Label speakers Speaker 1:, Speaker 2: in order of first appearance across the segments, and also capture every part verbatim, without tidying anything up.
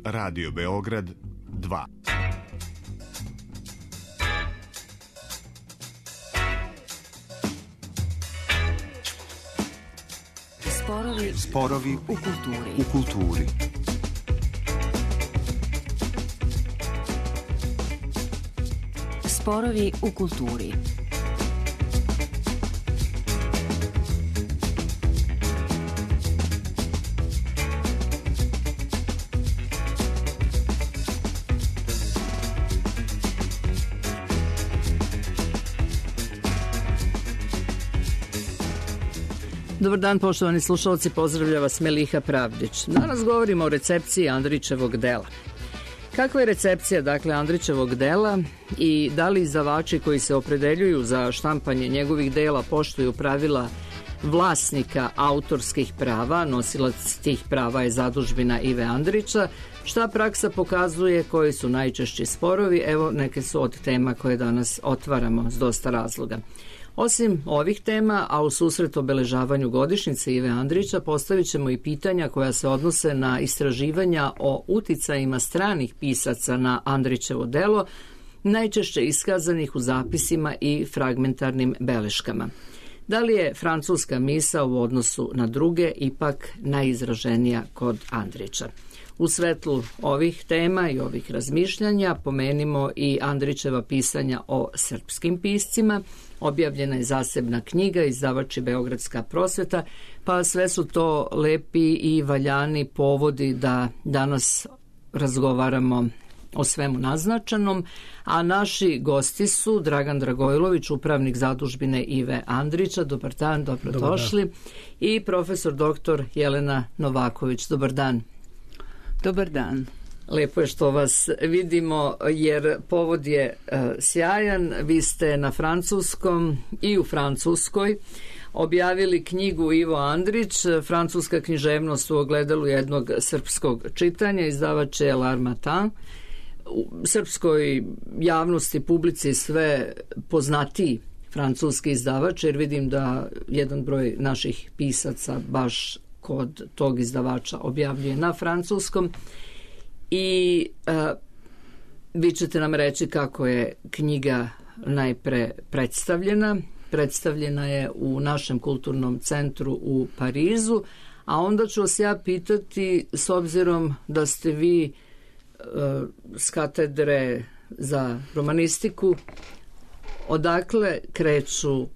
Speaker 1: Radio Beograd dva.
Speaker 2: Sporovi,
Speaker 1: Sporovi
Speaker 2: u kulturi.
Speaker 1: U kulturi.
Speaker 2: Sporovi u kulturi.
Speaker 3: Dobar dan, poštovani slušalci, pozdravlja vas Meliha Pravdić. Danas govorimo o recepciji Andrićevog dela. Kakva je recepcija, dakle, Andrićevog dela i da li izdavači koji se opredeljuju za štampanje njegovih dela poštuju pravila vlasnika autorskih prava, nosilac tih prava je zadužbina Ive Andrića, šta praksa pokazuje, koji su najčešći sporovi, evo neke su od tema koje danas otvaramo s dosta razloga. Osim ovih tema, a u susret obeležavanju godišnjice Ive Andrića postavit ćemo i pitanja koja se odnose na istraživanja o uticajima stranih pisaca na Andrićevo delo, najčešće iskazanih u zapisima i fragmentarnim beleškama. Da li je francuska misao u odnosu na druge ipak najizraženija kod Andrića? U svetlu ovih tema i ovih razmišljanja pomenimo i Andrićeva pisanja o srpskim piscima. Objavljena je zasebna knjiga, izdavač je Beogradska prosveta, pa sve su to lepi i valjani povodi da danas razgovaramo o svemu naznačenom, a naši gosti su Dragan Dragojlović, upravnik zadužbine Ive Andrića, dobar dan, dobrodošli, dobar dan. I profesor doktor Jelena Novaković, dobar dan.
Speaker 4: Dobar dan.
Speaker 3: Lepo je što vas vidimo jer povod je e, sjajan. Vi ste na francuskom i u Francuskoj objavili knjigu Ivo Andrić, francuska književnost u ogledalu jednog srpskog čitanja, izdavač je L'Harmattan. U srpskoj javnosti, publici sve poznatiji francuski izdavač, jer vidim da jedan broj naših pisaca baš kod tog izdavača objavljuje na francuskom. I a, vi ćete nam reći kako je knjiga najpre predstavljena. Predstavljena je u našem kulturnom centru u Parizu, a onda ću vas ja pitati, s obzirom da ste vi a, s katedre za romanistiku, odakle kreću a,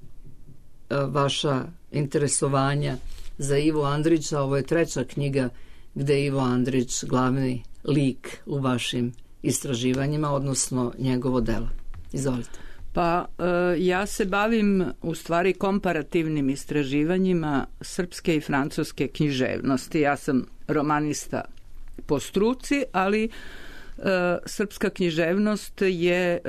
Speaker 3: vaša interesovanja za Ivo Andrića? Ovo je treća knjiga gde je Ivo Andrić glavni lik u vašim istraživanjima, odnosno njegovo delo. Izvolite.
Speaker 4: Pa ja se bavim u stvari komparativnim istraživanjima srpske i francuske književnosti. Ja sam romanista po struci, ali srpska književnost je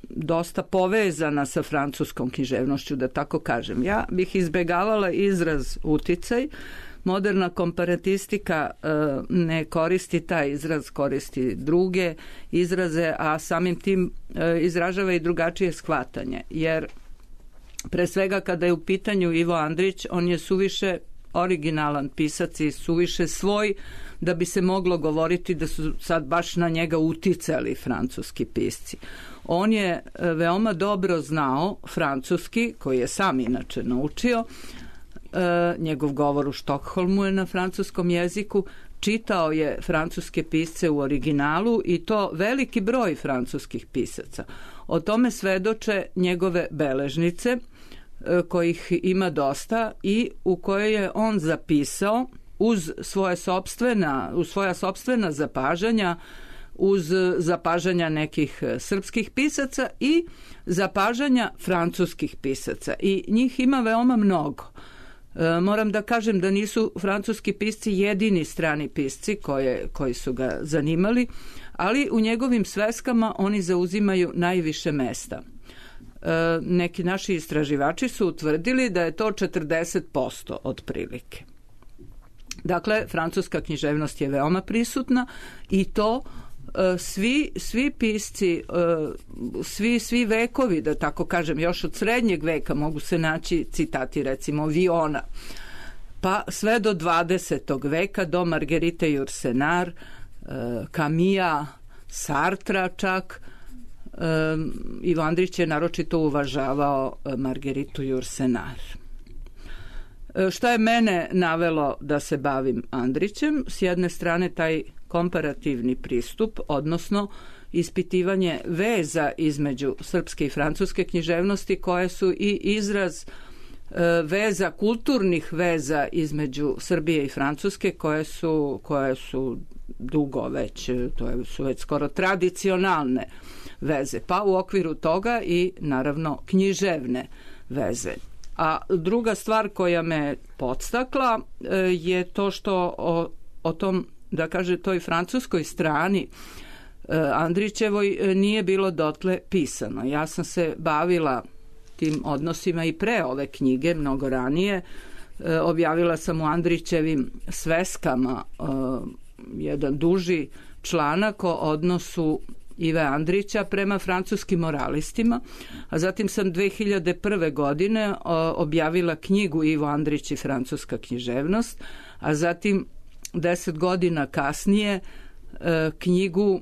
Speaker 4: dosta povezana sa francuskom književnošću, da tako kažem. Ja bih izbegavala izraz uticaj. Moderna komparatistika ne koristi taj izraz, koristi druge izraze, a samim tim izražava i drugačije shvatanje. Jer pre svega kada je u pitanju Ivo Andrić, on je suviše originalan pisac i suviše svoj da bi se moglo govoriti da su sad baš na njega uticali francuski pisci. On je veoma dobro znao francuski, koji je sam inače naučio. E, njegov govor u Štokholmu je na francuskom jeziku, čitao je francuske pisce u originalu i to veliki broj francuskih pisaca. O tome svedoče njegove beležnice, e, kojih ima dosta i u koje je on zapisao uz svoje sopstvena, uz svoja sopstvena zapažanja, uz zapažanja nekih srpskih pisaca i zapažanja francuskih pisaca. I njih ima veoma mnogo. E, moram da kažem da nisu francuski pisci jedini strani pisci koje, koji su ga zanimali, ali u njegovim sveskama oni zauzimaju najviše mesta. E, neki naši istraživači su utvrdili da je to četrdeset posto otprilike. Dakle, francuska književnost je veoma prisutna i to svi, svi pisci, svi, svi vekovi, da tako kažem, još od srednjeg veka mogu se naći citati recimo Viona, pa sve do dvadesetog veka, do Marguerite Yourcenar, Kamija, Sartra čak. Ivo Andrić je naročito uvažavao Margeritu Jursenar. Šta je mene navelo da se bavim Andrićem? S jedne strane taj komparativni pristup, odnosno ispitivanje veza između srpske i francuske književnosti, koje su i izraz veza, kulturnih veza između Srbije i Francuske, koje su, koje su dugo već, to su već skoro tradicionalne veze, pa u okviru toga i naravno književne veze. A druga stvar koja me podstakla je to što o, o tom, da kaže, toj francuskoj strani Andrićevoj nije bilo dotle pisano. Ja sam se bavila tim odnosima i pre ove knjige, mnogo ranije. Objavila sam u Andrićevim sveskama jedan duži članak o odnosu Ive Andrića prema francuskim moralistima, a zatim sam dve hiljade prve. godine objavila knjigu Ivo Andrić i francuska književnost, a zatim deset godina kasnije knjigu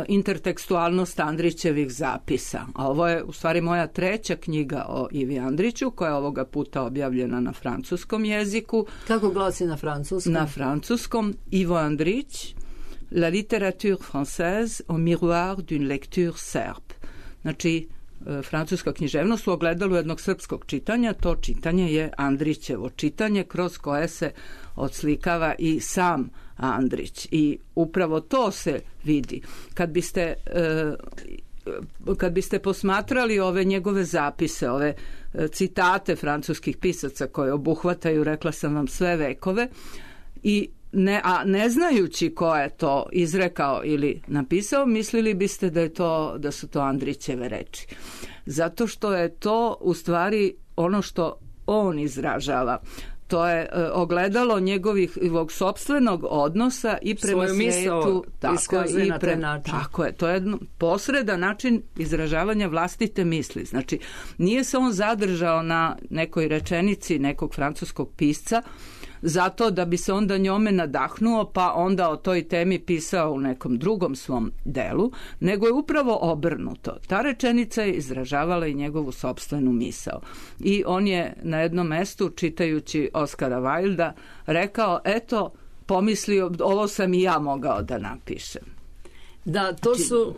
Speaker 4: Intertekstualnost Andrićevih zapisa. A ovo je u stvari moja treća knjiga o Ivi Andriću, koja je ovoga puta objavljena na francuskom jeziku.
Speaker 3: Kako glasi na francuskom?
Speaker 4: Na francuskom Ivo Andrić, La littérature française au miroir d'une lecture serbe. Znači, francuska književnost u ogledalu jednog srpskog čitanja. To čitanje je Andrićevo čitanje, kroz koje se odslikava i sam Andrić. I upravo to se vidi. Kad biste, kad biste posmatrali ove njegove zapise, ove citate francuskih pisaca koje obuhvataju, rekla sam vam, sve vekove, i Ne, a ne znajući ko je to izrekao ili napisao, mislili biste da je to, da su to Andrićeve reči. Zato što je to u stvari ono što on izražava. To je e, ogledalo njegovih ovog sopstvenog odnosa i prema
Speaker 3: svoju
Speaker 4: svijetu,
Speaker 3: tako,
Speaker 4: i pre, tako je, to je jedno posredan način izražavanja vlastite misli. Znači, nije se on zadržao na nekoj rečenici nekog francuskog pisca zato da bi se onda njome nadahnuo, pa onda o toj temi pisao u nekom drugom svom delu, nego je upravo obrnuto. Ta rečenica je izražavala i njegovu sopstvenu misao. I on je na jednom mestu, čitajući Oskara Wilda, rekao, eto, pomislio, ovo sam i ja mogao da napišem.
Speaker 3: Da, to su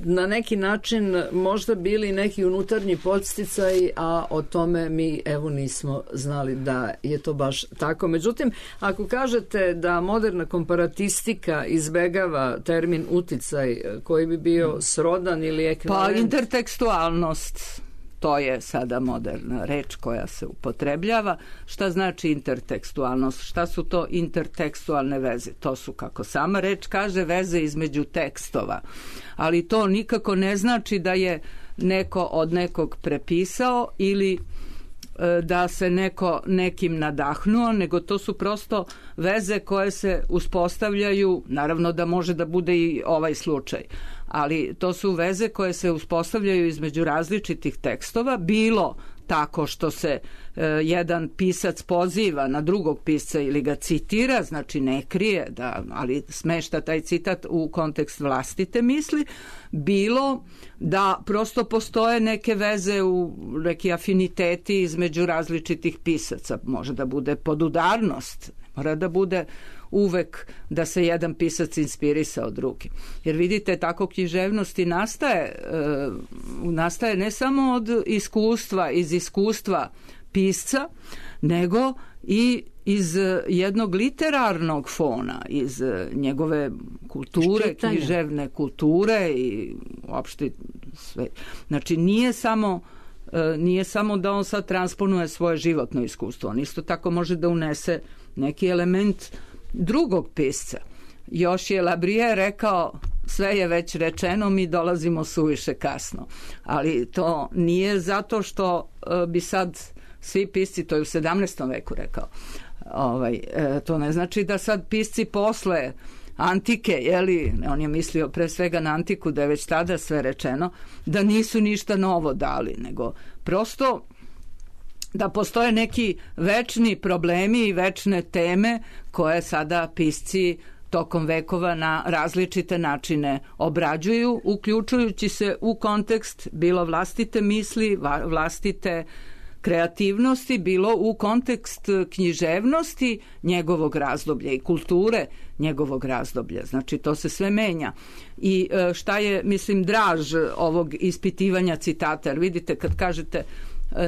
Speaker 3: na neki način možda bili neki unutarnji podsticaj, a o tome mi evo nismo znali da je to baš tako. Međutim, ako kažete da moderna komparatistika izbegava termin uticaj koji bi bio srodan ili ekvivalent...
Speaker 4: Pa intertekstualnost, to je sada moderna reč koja se upotrebljava. Šta znači intertekstualnost? Šta su to intertekstualne veze? To su, kako sama reč kaže, veze između tekstova. Ali to nikako ne znači da je neko od nekog prepisao ili da se neko nekim nadahnuo, nego to su prosto veze koje se uspostavljaju, naravno da može da bude i ovaj slučaj, ali to su veze koje se uspostavljaju između različitih tekstova, bilo tako što se e, jedan pisac poziva na drugog pisca ili ga citira, znači ne krije, da, ali smešta taj citat u kontekst vlastite misli, bilo da prosto postoje neke veze, u neki afiniteti između različitih pisaca. Može da bude podudarnost, mora da bude uvek da se jedan pisac inspirisao drugim. Jer vidite, tako književnosti nastaje, e, nastaje ne samo od iskustva, iz iskustva pisca, nego i iz jednog literarnog fona, iz njegove kulture, Štitanja. književne kulture i uopšte sve. Znači, nije samo nije samo da on sad transponuje svoje životno iskustvo, on isto tako može da unese neki element drugog pisca. Još je Labrije rekao, sve je već rečeno, mi dolazimo suviše kasno. Ali to nije zato što bi sad svi pisci, to je u sedamnaestom veku rekao, ovaj, to ne znači da sad pisci posle antike, jeli, on je mislio pre svega na antiku, da je već tada sve rečeno, da nisu ništa novo dali, nego prosto da postoje neki večni problemi i večne teme koje sada pisci tokom vekova na različite načine obrađuju, uključujući se u kontekst bilo vlastite misli, vlastite kreativnosti, bilo u kontekst književnosti njegovog razdoblja i kulture njegovog razdoblja. Znači, to se sve menja. I šta je, mislim, draž ovog ispitivanja citata, jer vidite kad kažete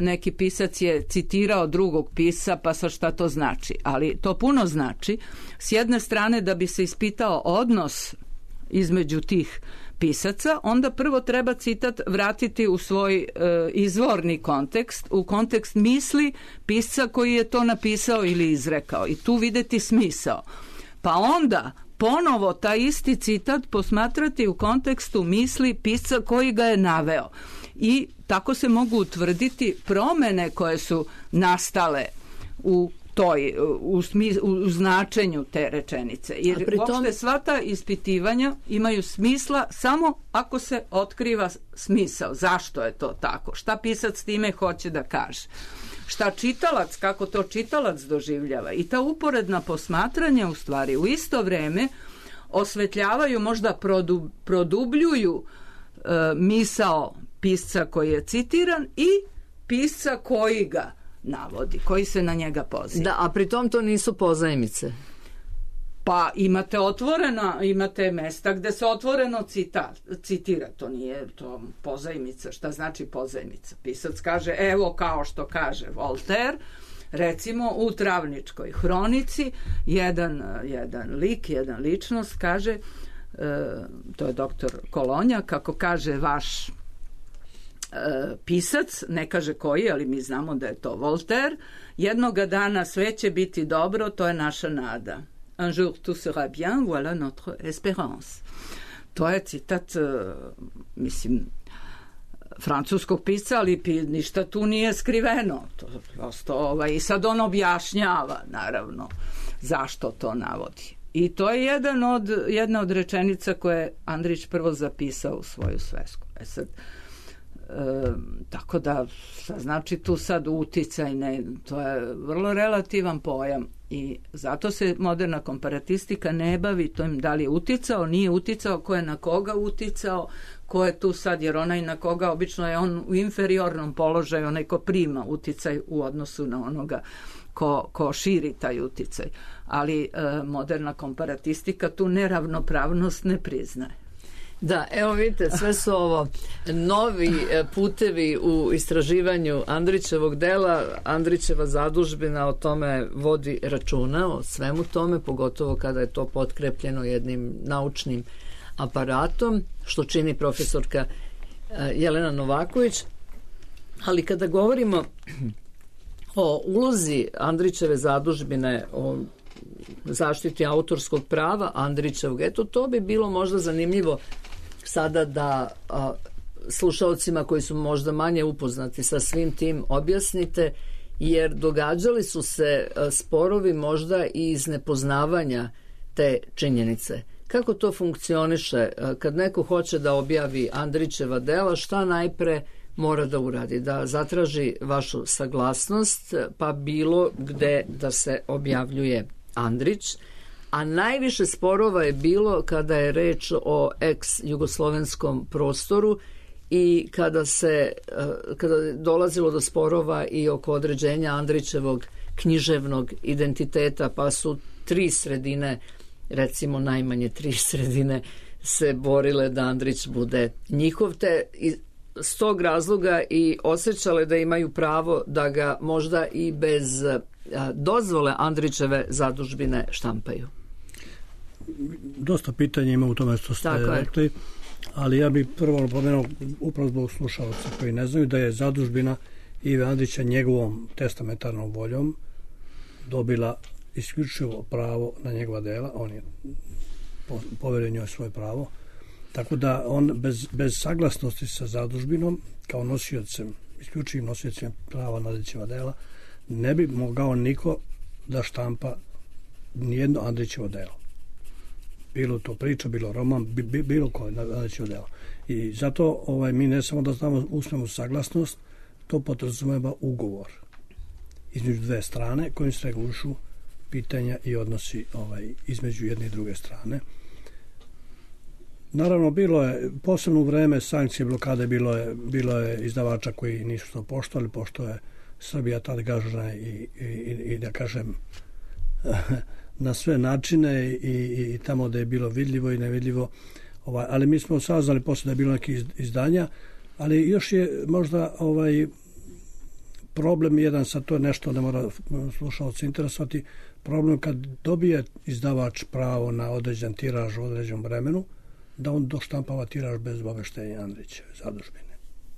Speaker 4: neki pisac je citirao drugog pisa, pa sa šta to znači? Ali to puno znači. S jedne strane, da bi se ispitao odnos između tih pisaca, onda prvo treba citat vratiti u svoj e, izvorni kontekst, u kontekst misli pisca koji je to napisao ili izrekao i tu videti smisao. Pa onda ponovo taj isti citat posmatrati u kontekstu misli pisca koji ga je naveo. I tako se mogu utvrditi promene koje su nastale u toj, u, smis, u značenju te rečenice. Jer
Speaker 3: pri
Speaker 4: uopšte
Speaker 3: tom...
Speaker 4: sva ta ispitivanja imaju smisla samo ako se otkriva smisao. Zašto je to tako? Šta pisac time hoće da kaže? Šta čitalac, kako to čitalac doživljava? I ta uporedna posmatranja u stvari u isto vreme osvetljavaju, možda produ, produbljuju e, misao pisca koji je citiran i pisca koji ga navodi, koji se na njega poziva.
Speaker 3: Da, a pri tom to nisu pozajmice.
Speaker 4: Pa imate otvorena, imate mesta gde se otvoreno cita, citira, to nije to pozajmica. Šta znači pozajmica? Pisac kaže, evo kao što kaže Voltaire, recimo u Travničkoj hronici, jedan, jedan lik, jedan ličnost kaže, e, to je doktor Kolonja, kako kaže vaš pisac, ne kaže koji, ali mi znamo da je to Voltaire, jednoga dana sve će biti dobro, to je naša nada. Un jour tout sera bien, voilà notre espérance. To je citat, mislim, francuskog pisca, ali ništa tu nije skriveno. To prosto, ovaj, i sad on objašnjava, naravno, zašto to navodi. I to je jedan od, jedna od rečenica koje je Andrić prvo zapisao u svoju svesku. E sad, E, tako da znači tu sad uticaj, ne, to je vrlo relativan pojam i zato se moderna komparatistika ne bavi tom da li je uticao, nije uticao, ko je na koga uticao, ko je tu sad, jer onaj na koga obično je on u inferiornom položaju, onaj ko prima uticaj u odnosu na onoga ko, ko širi taj uticaj, ali e, moderna komparatistika tu neravnopravnost ne priznaje.
Speaker 3: Da, evo vidite, sve su ovo novi putevi u istraživanju Andrićevog dela. Andrićeva zadužbina o tome vodi računa, o svemu tome, pogotovo kada je to potkrepljeno jednim naučnim aparatom, što čini profesorka Jelena Novaković. Ali kada govorimo o ulozi Andrićeve zadužbine, o zaštiti autorskog prava Andrićevog, eto, to bi bilo možda zanimljivo sada da a, slušalcima koji su možda manje upoznati sa svim tim objasnite, jer događali su se a, sporovi možda i iz nepoznavanja te činjenice. Kako to funkcioniše? A, kad neko hoće da objavi Andrićeva dela, šta najpre mora da uradi? Da zatraži vašu saglasnost, pa bilo gde da se objavljuje Andrić, a najviše sporova je bilo kada je reč o ex-jugoslovenskom prostoru i kada se kada je dolazilo do sporova i oko određenja Andrićevog književnog identiteta, pa su tri sredine, recimo najmanje tri sredine, se borile da Andrić bude njihov, te s tog razloga i osjećale da imaju pravo da ga možda i bez dozvole Andrićeve zadužbine štampaju.
Speaker 5: Dosta pitanja ima u tome što ste rekli, ali ja bih prvo napomenuo upravo zbog slušalaca koji ne znaju da je zadužbina Ive Andrića njegovom testamentarnom voljom dobila isključivo pravo na njegova dela, on je poverio njoj svoje pravo, tako da on bez, bez saglasnosti sa zadužbinom kao nosiocem, isključivim nosiocem prava na Andrićeva dela, ne bi mogao niko da štampa nijedno Andrićevo delo. Bilo to priča, bilo roman, bi, bilo koje Andrićevo delo. I zato ovaj, mi ne samo da znamo usmenu saglasnost, to podrazumeva ugovor između dve strane kojim se regulišu pitanja i odnosi ovaj, između jedne i druge strane. Naravno, bilo je, posebno u vreme sankcije blokade, bilo je, bilo je izdavača koji nisu to poštovali, pošto je Srbija tada gažena i, i, i da kažem na sve načine i, i tamo da je bilo vidljivo i nevidljivo. Ovaj, ali mi smo saznali posle da je bilo neki izdanja, ali još je možda ovaj problem jedan, sad to je nešto ne mora slušalci interesovati, problem kad dobije izdavač pravo na određen tiraž u određenom vremenu, da on doštampava tiraž bez obaveštenja Andrićeve zadužbine.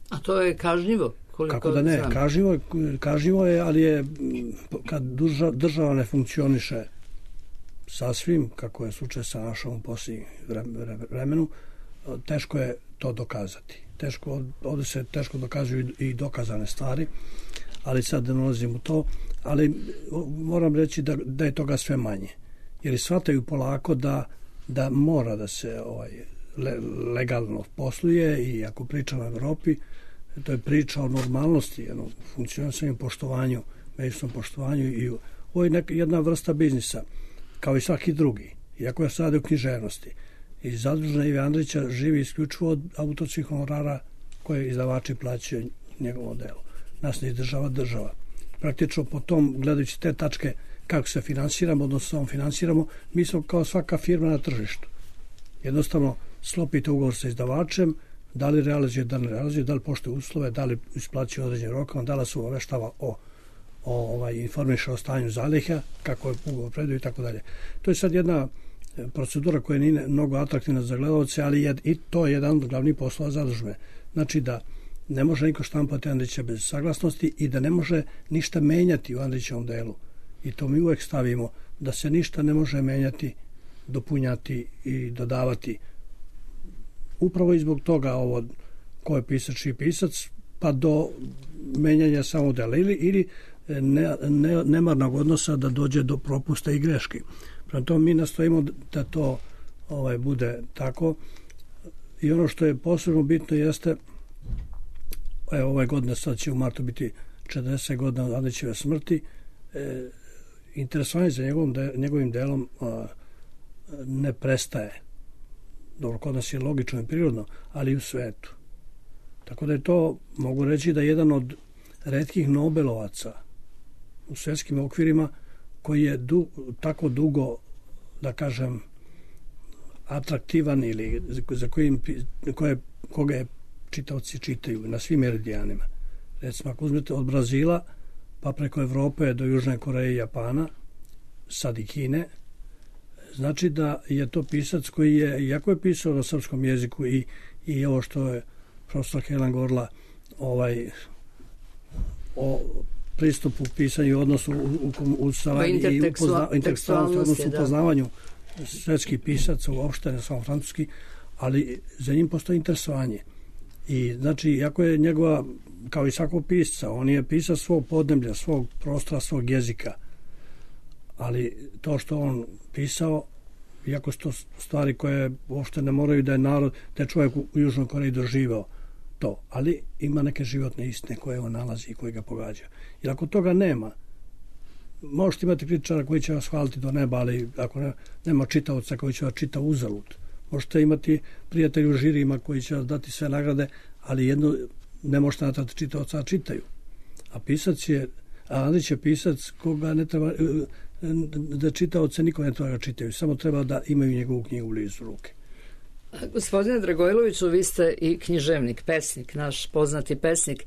Speaker 3: A to je kažnjivo?
Speaker 5: Kako da ne, kažnjivo, kažnjivo je, ali je kad država ne funkcioniše sasvim, kako je slučaj sa našom u posljednjem vremenu, teško je to dokazati. Teško, ovdje se teško dokazuju i dokazane stvari, ali sad ne ulazim u to, ali moram reći da, da je toga sve manje. Jer shvataju polako da, da mora da se ovaj, le, legalno posluje i ako pričamo o Evropi, to je priča o normalnosti, jednom funkcionisanju, poštovanju, međusobnom poštovanju i ovo je neka, jedna vrsta biznisa, kao i svaki drugi, iako je sad u književnosti. I zadužena Ive Andrića živi isključivo od autorskih honorara koje izdavači plaćaju njegovom delu. Nas ne izdržava država. Praktično po tom, gledajući te tačke kako se finansiramo, odnosno samo finansiramo, mi smo kao svaka firma na tržištu. Jednostavno, slopite ugovor sa izdavačem, da li realizuje, da li realizuje, da li poštuje uslove, da li isplaćuje određen rokom, da li se obaveštava o, o ovaj, informiše o stanju zaliha, kako je ugovor predaju i tako dalje. To je sad jedna procedura koja nije mnogo atraktivna za gledalce, ali je, i to je jedan od glavnih poslova zadužbe. Znači da ne može niko štampati Andrića bez saglasnosti i da ne može ništa menjati u Andrićevom delu. I to mi uvek stavimo, da se ništa ne može menjati, dopunjati i dodavati. Upravo i zbog toga ovo ko je pisač i pisac, pa do menjanja samo dela ili, ili ne, ne, nemarnog odnosa da dođe do propusta i greški. Prema tome mi nastojimo da to ovaj, bude tako. I ono što je posebno bitno jeste, evo, ove godine sad će u martu biti četrdeset godina od Andrićeve smrti, e, interesovanje za njegovom, de, njegovim delom a, ne prestaje. Dobro, kod nas je logično i prirodno, ali i u svetu. Tako da je to, mogu reći, da je jedan od retkih Nobelovaca u svetskim okvirima koji je du, tako dugo, da kažem, atraktivan ili za kojim, koje, koga je čitaoci čitaju na svim meridijanima. Recimo, ako uzmete od Brazila, pa preko Evrope do Južne Koreje i Japana, sad i Kine, znači da je to pisac koji je, iako je pisao na srpskom jeziku i, i ovo što je profesor Helen govorila ovaj, o pristupu pisanju i odnosu u, u, u, saradnji i intertekstualnosti, odnosno upoznavanju svetskih pisaca, uopšte ne samo francuski, ali za njim postoji interesovanje. I znači, iako je njegova, kao i svakog pisca, on je pisac svog podneblja, svog prostora, svog jezika, ali to što on pisao, iako su to stvari koje uopšte ne moraju da je narod, da je čovjek u Južnoj Koreji doživao to, ali ima neke životne istine koje on nalazi i koje ga pogađaju. Jer ako toga nema, možete imati kritičara koji će vas hvaliti do neba, ali ako ne, nema čitaoca koji će vas čita uzalud. Možete imati prijatelji u žirima koji će vas dati sve nagrade, ali jedno ne možete natrati čitaoca, a čitaju. A pisac je, a Andrić je pisac koga ne treba, da čitaoce niko ne treba ga čitaju, samo treba da imaju njegovu knjigu blizu ruke.
Speaker 3: Gospodine Dragojloviću, vi ste i književnik, pesnik, naš poznati pesnik.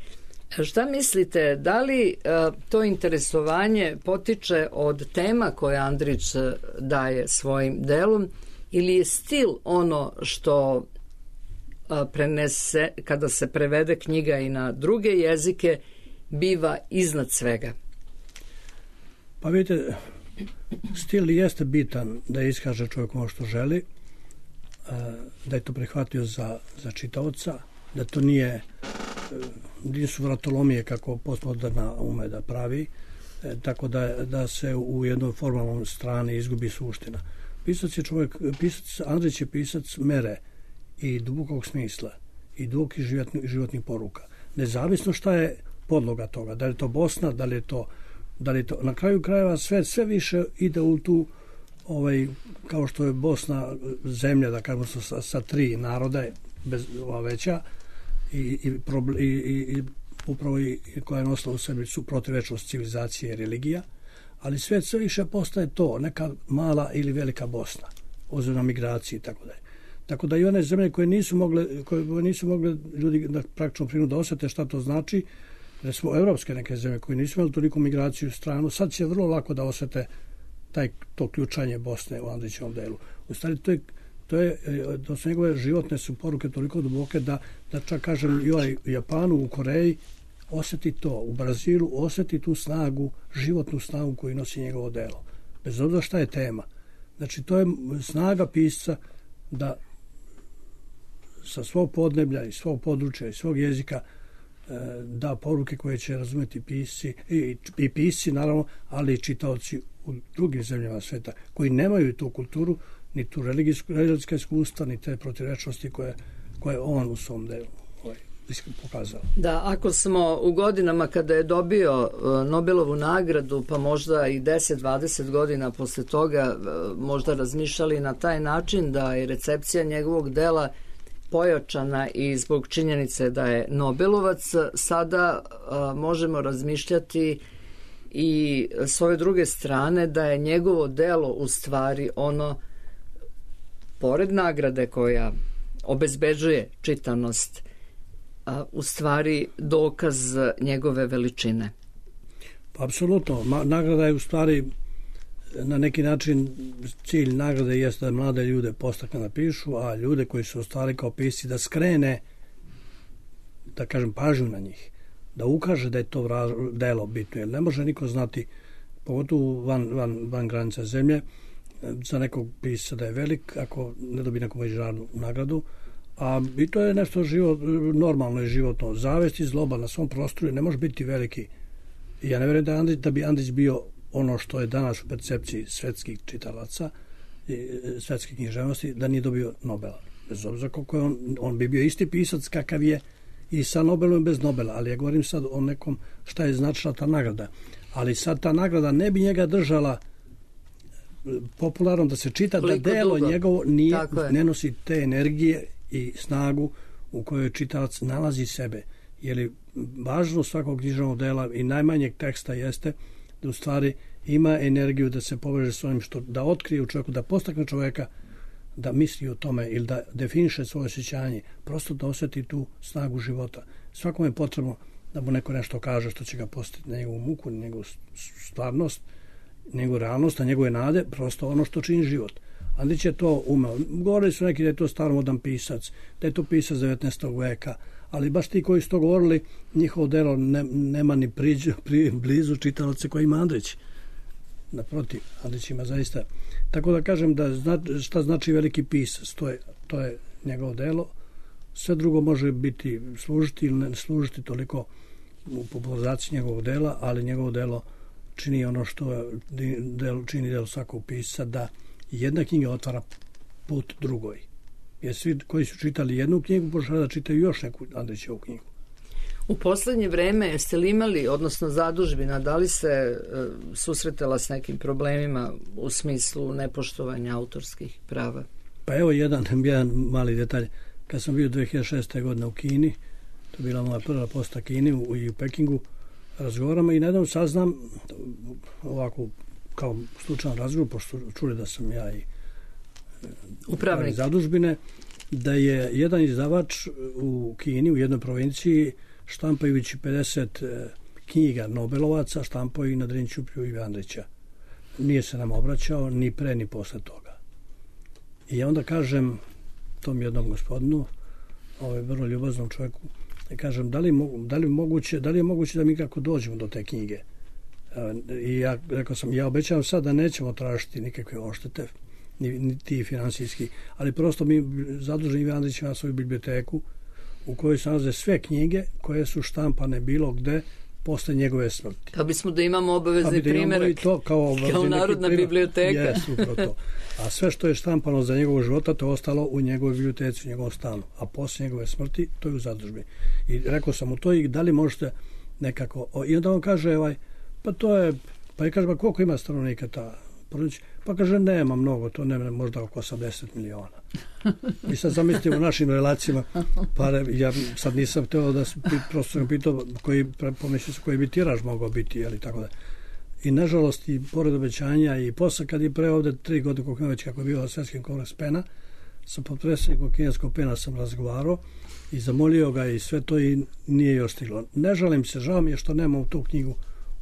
Speaker 3: Šta mislite, da li to interesovanje potiče od tema koje Andrić daje svojim delom ili je stil ono što prenese, kada se prevede knjiga i na druge jezike, biva iznad svega?
Speaker 5: Pa vidite, stil jeste bitan da iskaže čovjek ono što želi, da je to prihvatio za, za čitaoca, da to nije nisu vratolomije kako postmoderna ume da pravi, tako da, da se u jednoj formalnom strani izgubi suština. Pisac je čovjek, pisac, Andrić je pisac mere i dubokog smisla i dubokih životnih, životnih poruka. Nezavisno šta je podloga toga, da li je to Bosna, da li je to Da li to, na kraju krajeva sve, sve više ide u tu, ovaj, kao što je Bosna zemlja, da kažemo sa, sa tri naroda, bez, ova veća, i, i, i, i, i upravo i, koja je nosila u sebi su protivečnost civilizacije i religija, ali svet sve više postaje to, neka mala ili velika Bosna, ozbiljno migraciji i tako dalje. Tako da i one zemlje koje nisu mogle, koje nisu mogle ljudi da praktično prinu da osjete šta to znači, recimo evropske neke zemlje koje nisu imali toliko migraciju u stranu, sad će vrlo lako da osjete taj, to ključanje Bosne u Andrićevom delu. U stvari to je, to je, to su njegove životne su poruke toliko duboke da, da čak kažem i ovaj u Japanu, u Koreji osjeti to, u Brazilu osjeti tu snagu, životnu snagu koju nosi njegovo delo. Bez obzira šta je tema. Znači to je snaga pisca da sa svog podneblja i svog područja i svog jezika da poruke koje će razumjeti pisci i, i pisci naravno, ali i čitaoci u drugim zemljama sveta koji nemaju tu kulturu, ni tu religijska iskustva, ni te protivrečnosti koje, koje on u svom delu ovaj, pokazao.
Speaker 3: Da, ako smo u godinama kada je dobio Nobelovu nagradu, pa možda i deset dvadeset godina posle toga možda razmišljali na taj način da je recepcija njegovog dela pojačana i zbog činjenice da je Nobelovac, sada a, možemo razmišljati i s ove druge strane da je njegovo delo u stvari ono, pored nagrade koja obezbeđuje čitanost, a, u stvari dokaz njegove veličine.
Speaker 5: Pa, apsolutno. Ma, nagrada je u stvari na neki način cilj nagrade jeste da mlade ljude postakne da pišu, a ljude koji su ostali kao pisci da skrene, da kažem, pažnju na njih, da ukaže da je to delo bitno, jer ne može niko znati, pogotovo van, van, van granica zemlje, za nekog pisca da je velik ako ne dobi neku međunarodnu nagradu, a i to je nešto život, normalno i životno. Zavest i zloba na svom prostoru ne može biti veliki. I ja ne vjerujem da, Andrić, da bi Andrić bio ono što je danas u percepciji svetskih čitalaca i svetske književnosti, da nije dobio Nobela. Bez obzira koliko je on, on bi bio isti pisac kakav je i sa Nobelom i bez Nobela, ali ja govorim sad o nekom šta je značila ta nagrada. Ali sad ta nagrada ne bi njega držala popularno da se čita, koliko da delo dugo njegovo nije, ne nosi te energije i snagu u kojoj čitalac nalazi sebe. Jer važno svakog književnog dela i najmanjeg teksta jeste da u stvari ima energiju da se poveže s onim što da otkrije u čovjeku, da postakne čovjeka da misli o tome ili da definiše svoje osjećanje, prosto da osjeti tu snagu života. Svakom je potrebno da mu neko nešto kaže što će ga postaviti na njegovu muku, na njegovu stvarnost, njegovu realnost, na njegove nade, prosto ono što čini život. Andrić je to umeo. Govorili su neki da je to staromodan pisac, da je to pisac devetnaestog veka, ali baš ti koji su to govorili, njihovo delo ne, nema ni priđu, pri, blizu čitalaca koji ima Andrić. Naprotiv, Andrić ima zaista. Tako da kažem da zna, šta znači veliki pisac, to je, to je njegovo delo. Sve drugo može biti služiti ili ne služiti toliko u popularizaciji njegovog dela, ali njegovo delo čini ono što del, čini delo svakog pisca, da jedna knjiga otvara put drugoj. Jer svi koji su čitali jednu knjigu požele da čitaju još neku Andrićevu knjigu.
Speaker 3: U poslednje vreme jeste li imali, odnosno zadužbina, da li se e, susretala s nekim problemima u smislu nepoštovanja autorskih prava?
Speaker 5: Pa evo jedan, jedan mali detalj. Kad sam bio dve hiljade šeste. godine u Kini, to je bila moja prva posta Kini u, i u Pekingu, razgovaramo i nedavno saznam ovako kao slučajan razgovor, pošto čuli da sam ja i
Speaker 3: upravnik
Speaker 5: zadužbine, da je jedan izdavač u Kini, u jednoj provinciji, štampajući pedeset knjiga Nobelovaca, štampao i na Drini Ćupriju i Andrića. Nije se nam obraćao ni pre ni posle toga. I ja onda kažem tom jednom gospodinu, ovaj vrlo ljubaznom čovjeku, da kažem da li, da li, moguće, da li je moguće da mi kako dođemo do te knjige. I ja rekao sam, ja obećavam sad da nećemo tražiti nikakve oštete, ni, ni ti finansijski, ali prosto mi zadužen Ivan Andrić ima svoju biblioteku u kojoj se nalaze sve knjige koje su štampane bilo gde posle njegove smrti.
Speaker 3: Pa bismo da imamo obavezni
Speaker 5: da
Speaker 3: primjerak
Speaker 5: to kao,
Speaker 3: kao narodna biblioteka.
Speaker 5: Yes, upravo to. A sve što je štampano za njegovog života, to je ostalo u njegovoj biblioteci, u njegovom stanu. A posle njegove smrti, to je u zadužbi. I rekao sam mu to i da li možete nekako... I onda on kaže, ovaj, Pa to je, pa i kaže, pa koliko ima stanovnika ta porodica? Pa kaže, nema mnogo, to nema možda oko osamdeset miliona. I sad zamislite u našim relacijama, pa ja sad nisam htio da prosto sam pitao koji, pomislio se koji bi tiraž mogao biti, ali tako da. I nažalost, i pored obećanja, i posle kad je pre ovde tri godine koliko već kako je bio Svetski kongres pena, sa potpredsjednikom kineskog pena sam razgovarao i zamolio ga i sve to i nije još stiglo. Ne žalim se, žao mi je što nemam tu knjigu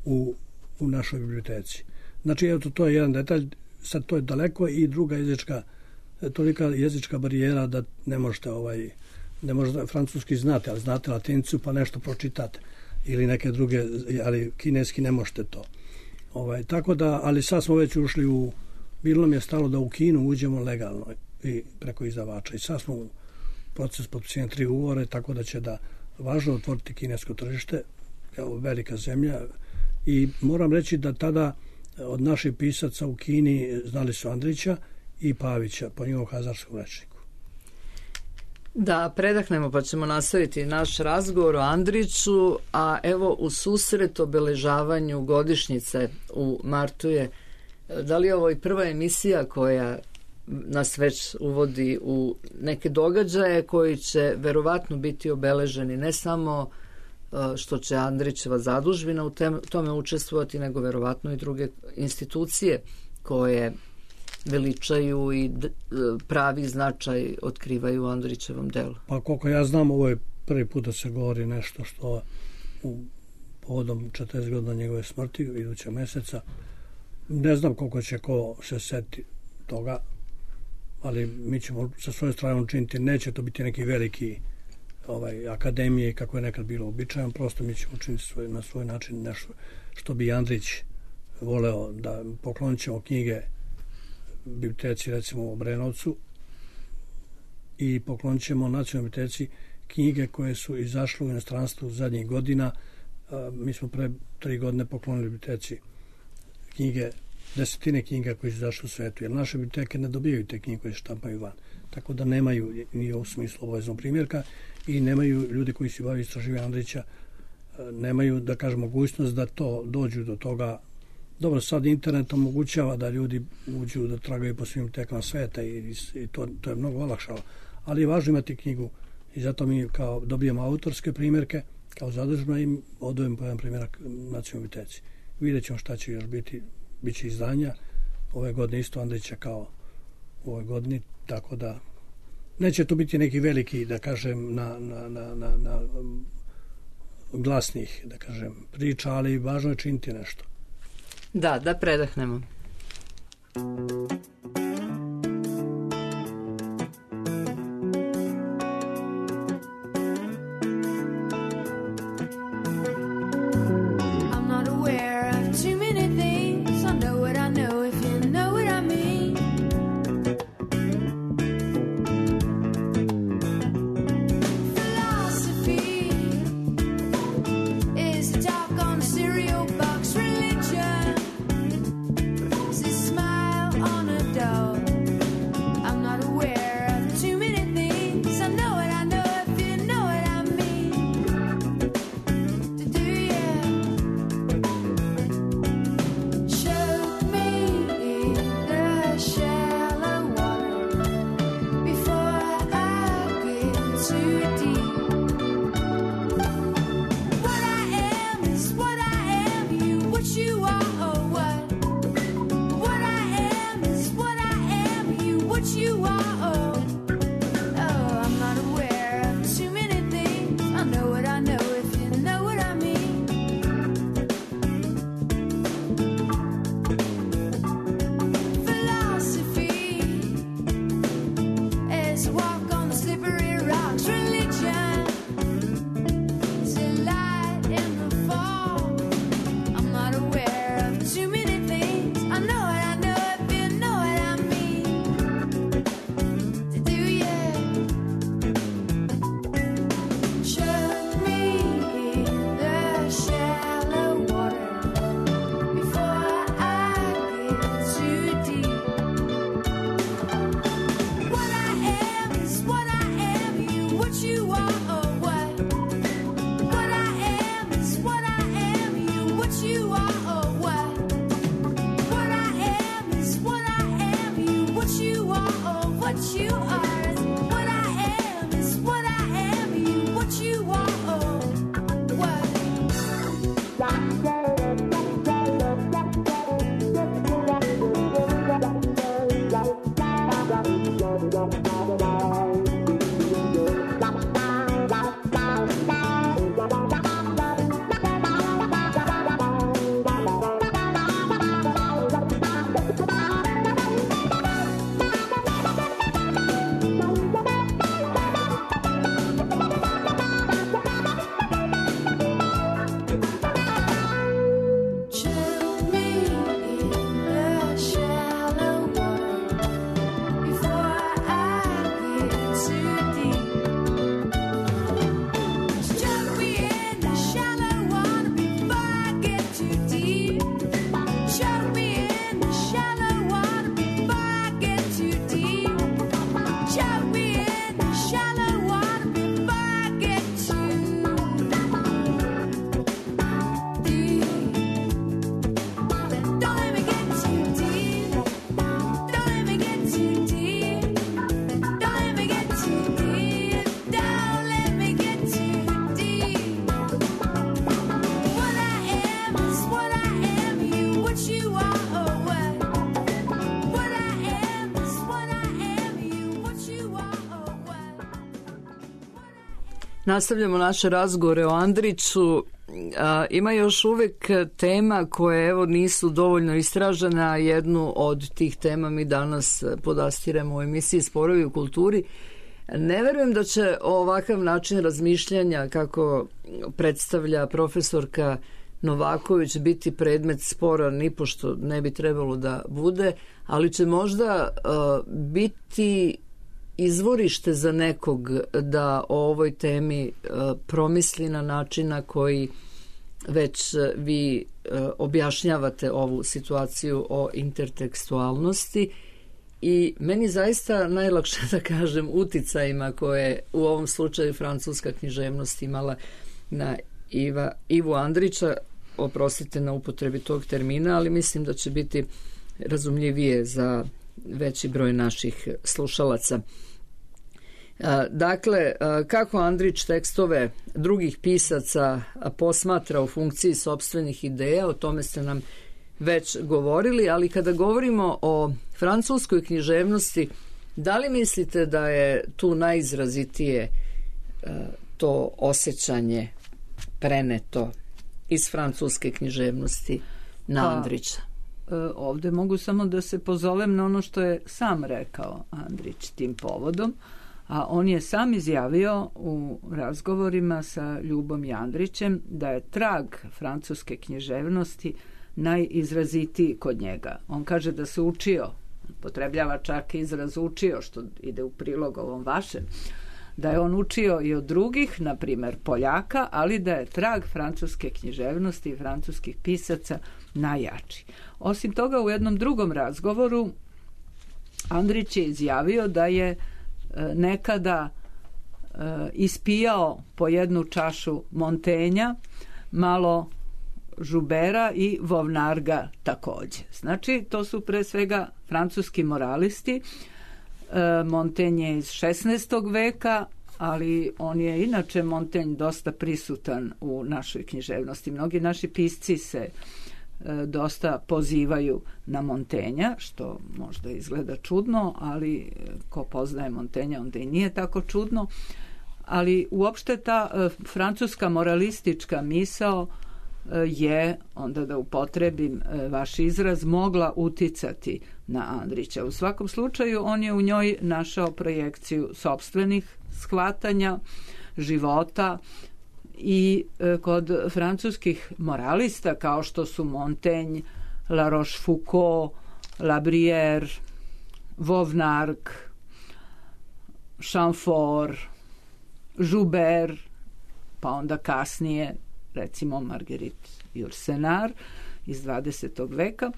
Speaker 5: u, u našoj biblioteci. Znači, evo, to je jedan detalj, sad to je daleko i druga jezička, tolika jezička barijera da ne možete ovaj, ne možete francuski znate, ali znate latinicu pa nešto pročitate ili neke druge, ali kineski ne možete to. Ovaj, tako da, ali sad smo već ušli u, bilo nam je stalo da u Kinu uđemo legalno i preko izdavača i sad smo u proces potpisivanja tri ugovore, tako da će da važno otvoriti kinesko tržište, evo, velika zemlja, i moram reći da tada od naših pisaca u Kini znali su Andrića i Pavića po njihovom hazarskom rečniku.
Speaker 3: Da, predahnemo pa ćemo nastaviti naš razgovor o Andriću, a evo u susret obeležavanju godišnjice u martu je, da li je ovo i prva emisija koja nas već uvodi u neke događaje koji će verovatno biti obeleženi ne samo što će Andrićeva zadužbina u tome učestvovati, nego verovatno i druge institucije koje veličaju i pravi značaj otkrivaju u Andrićevom delu.
Speaker 5: Pa koliko ja znam, ovo je prvi put da se govori nešto što u povodom četrdeset godina njegove smrti idućeg meseca. Ne znam koliko će ko se seti toga, ali mi ćemo sa svoje strane učiniti, neće to biti neki veliki ovaj, akademije kako je nekad bilo običajan, prosto mi ćemo učiniti svoj, na svoj način nešto što bi Andrić voleo, da poklonit ćemo knjige biblioteci recimo u Obrenovcu i poklonit ćemo nacionalnoj biblioteci knjige koje su izašle u inostranstvu zadnjih godina. Mi smo pre tri godine poklonili biblioteci knjige, desetine knjiga koje su izašle u svetu, jer naše biblioteke ne dobijaju te knjige koje se štampaju van, tako da nemaju ni u smislu obaveznog primjerka i nemaju ljudi koji se bavaju istraživanjem Andrića, nemaju, da kažem, mogućnost da to dođu do toga. Dobro, sad internet omogućava da ljudi uđu da tragaju po svim tekama sveta i, i to, to je mnogo olakšalo, ali je važno imati knjigu i zato mi kao dobijemo autorske primjerke kao zadužno i odvojimo po jedan primjerak nacionalnoj biblioteci. Vidjet ćemo šta će još biti, bit će izdanja ove godine isto Andrića kao u ovoj godini, tako da neće to biti neki veliki, da kažem, na, na, na, na, na glasnih, da kažem, priča, ali važno je činiti nešto.
Speaker 3: Da, da predahnemo. Nastavljamo naše razgovore o Andriću. A, ima još uvek tema koje evo nisu dovoljno istražene, a jednu od tih tema mi danas podastiremo u emisiji Sporovi u kulturi. Ne verujem da će ovakav način razmišljanja kako predstavlja profesorka Novaković biti predmet spora, nipošto ne bi trebalo da bude, ali će možda uh, biti izvorište za nekog da o ovoj temi uh, promisli na način na koji već uh, vi uh, objašnjavate ovu situaciju o intertekstualnosti. I meni zaista najlakše da kažem uticajima koje u ovom slučaju francuska književnost imala na Iva, Ivu Andrića, oprostite na upotrebi tog termina, ali mislim da će biti razumljivije za veći broj naših slušalaca. Dakle, kako Andrić tekstove drugih pisaca posmatra u funkciji sopstvenih ideja, o tome ste nam već govorili, ali kada govorimo o francuskoj književnosti, da li mislite da je tu najizrazitije to osjećanje preneto iz francuske književnosti na Andrića?
Speaker 4: Pa, ovde mogu samo da se pozovem na ono što je sam rekao Andrić tim povodom, a on je sam izjavio u razgovorima sa Ljubom Jandrićem da je trag francuske književnosti najizrazitiji kod njega. On kaže da se učio, potrebljava čak izraz učio, što ide u prilog ovom vašem, da je on učio i od drugih, na primer Poljaka, ali da je trag francuske književnosti i francuskih pisaca najjači. Osim toga, u jednom drugom razgovoru Andrić je izjavio da je e, nekada e, ispijao po jednu čašu Montenja, malo Žubera i Vovnarga takođe. Znači, to su pre svega francuski moralisti. E, Montaigne je iz šesnaestog veka, ali on je inače Montaigne dosta prisutan u našoj književnosti. Mnogi naši pisci se e, dosta pozivaju na Montaigna, što možda izgleda čudno, ali ko poznaje Montaigna onda i nije tako čudno. Ali uopšte ta e, francuska moralistička misao je, onda da upotrebim vaš izraz, mogla uticati na Andrića. U svakom slučaju on je u njoj našao projekciju sopstvenih shvatanja, života i kod francuskih moralista kao što su Montaigne, La Rochefoucauld, La Brière, Vauvenargues, Chamfort, Joubert, pa onda kasnije recimo Marguerite Yourcenar iz dvadesetog veka,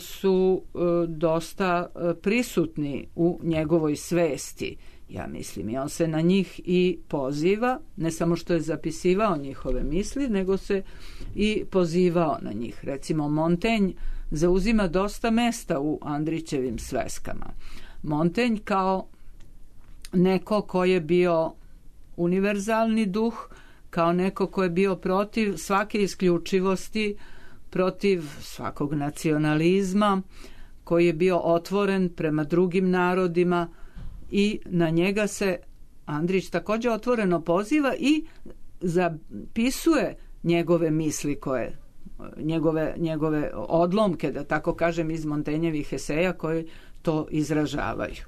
Speaker 4: su dosta prisutni u njegovoj svesti, ja mislim. I on se na njih i poziva, ne samo što je zapisivao njihove misli, nego se i pozivao na njih. Recimo, Montaigne zauzima dosta mesta u Andrićevim sveskama. Montaigne kao neko ko je bio univerzalni duh, kao neko ko je bio protiv svake isključivosti, protiv svakog nacionalizma, koji je bio otvoren prema drugim narodima i na njega se Andrić također otvoreno poziva i zapisuje njegove misli koje, njegove, njegove odlomke, da tako kažem, iz Montagnjevih eseja koji to izražavaju.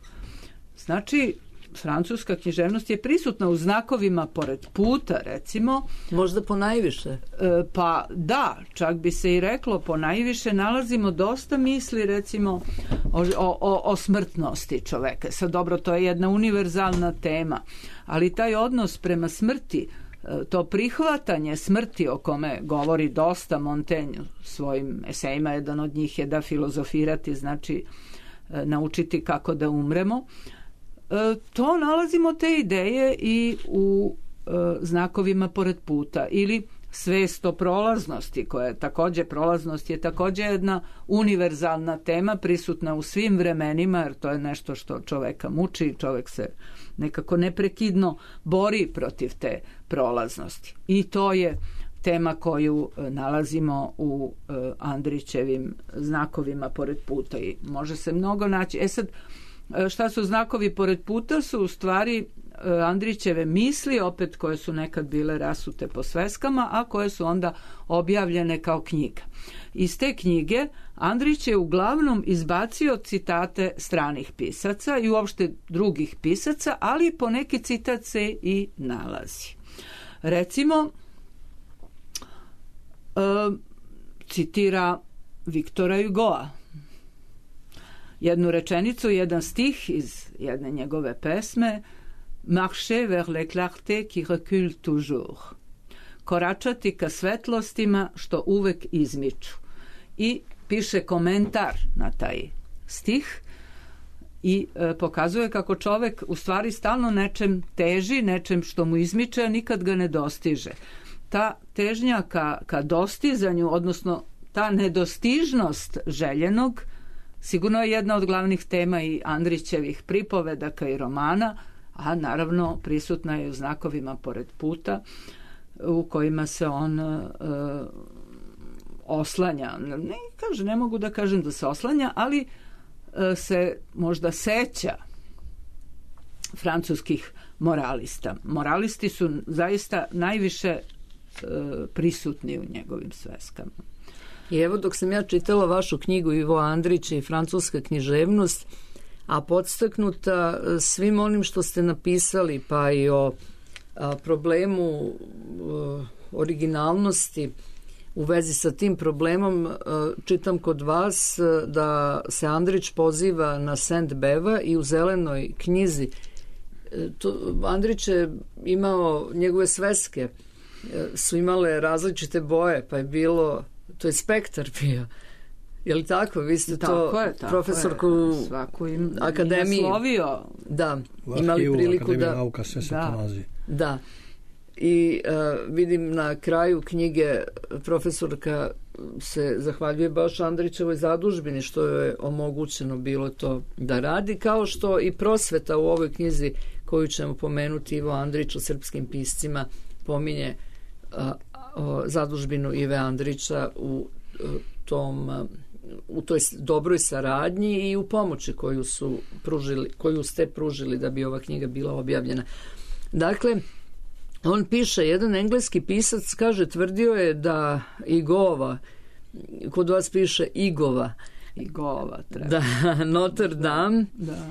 Speaker 4: Znači, francuska književnost je prisutna u znakovima pored puta, recimo.
Speaker 3: Možda po najviše.
Speaker 4: E, pa da, čak bi se i reklo po najviše. Nalazimo dosta misli, recimo, o, o, o smrtnosti čoveka. Sad, dobro, to je jedna univerzalna tema, ali taj odnos prema smrti, to prihvatanje smrti o kome govori dosta Montaigne svojim esejima, jedan od njih je da filozofirati znači naučiti kako da umremo. To nalazimo te ideje i u znakovima pored puta ili svest o prolaznosti, koja je također, prolaznost je također jedna univerzalna tema prisutna u svim vremenima, jer to je nešto što čoveka muči, čovek se nekako neprekidno bori protiv te prolaznosti. I to je tema koju nalazimo u Andrićevim znakovima pored puta i može se mnogo naći. E sad, šta su znakovi pored puta? Su u stvari Andrićeve misli, opet koje su nekad bile rasute po sveskama, a koje su onda objavljene kao knjiga. Iz te knjige Andrić je uglavnom izbacio citate stranih pisaca i uopšte drugih pisaca, ali po neki citat se i nalazi. Recimo, e, citira Viktora Hugoa. Jednu rečenicu, jedan stih iz jedne njegove pesme: Marcher vers les clartés qui reculent toujours. Koračati ka svetlostima što uvek izmiču. I piše komentar na taj stih i e, pokazuje kako čovek u stvari stalno nečem teži, nečem što mu izmiče, a nikad ga ne dostiže. Ta težnja ka, ka dostizanju, odnosno ta nedostižnost željenog, sigurno je jedna od glavnih tema i Andrićevih pripovedaka i romana, a naravno prisutna je u znakovima pored puta u kojima se on e, oslanja. Ne, kaže, ne mogu da kažem da se oslanja, ali e, se možda seća francuskih moralista. Moralisti su zaista najviše e, prisutni u njegovim sveskama.
Speaker 3: I evo, dok sam ja čitala vašu knjigu Ivo Andrić i francuska književnost, a podstaknuta svim onim što ste napisali, pa i o a, problemu a, originalnosti u vezi sa tim problemom, a, čitam kod vas a, da se Andrić poziva na Saint-Beuva i u Zelenoj knjizi. E, to, Andrić je imao, njegove sveske e, su imale različite boje, pa je bilo, to je spektar bio. Je li tako? Vi ste
Speaker 4: tako
Speaker 3: to
Speaker 4: je, tako
Speaker 3: profesorku
Speaker 4: je. Svaku im
Speaker 3: akademiji
Speaker 4: naslovio.
Speaker 3: Da,
Speaker 5: Vaš
Speaker 3: imali
Speaker 5: Kivu,
Speaker 3: priliku
Speaker 5: Akademija
Speaker 3: da...
Speaker 5: nauka, sve se
Speaker 3: da,
Speaker 5: nalazi.
Speaker 3: da. I uh, vidim na kraju knjige profesorka se zahvaljuje baš Andrićevoj zadužbini što je omogućeno bilo to da radi, kao što i prosveta u ovoj knjizi koju ćemo pomenuti, Ivo Andrić o srpskim piscima, pominje uh, o zadužbinu Ive Andrića u uh, tom uh, u toj dobroj saradnji i u pomoći koju su pružili, koju ste pružili da bi ova knjiga bila objavljena. Dakle, on piše, jedan engleski pisac kaže, tvrdio je da Igova, kod vas piše Igova,
Speaker 4: Igova treba.
Speaker 3: Da, Notre Dame
Speaker 4: da.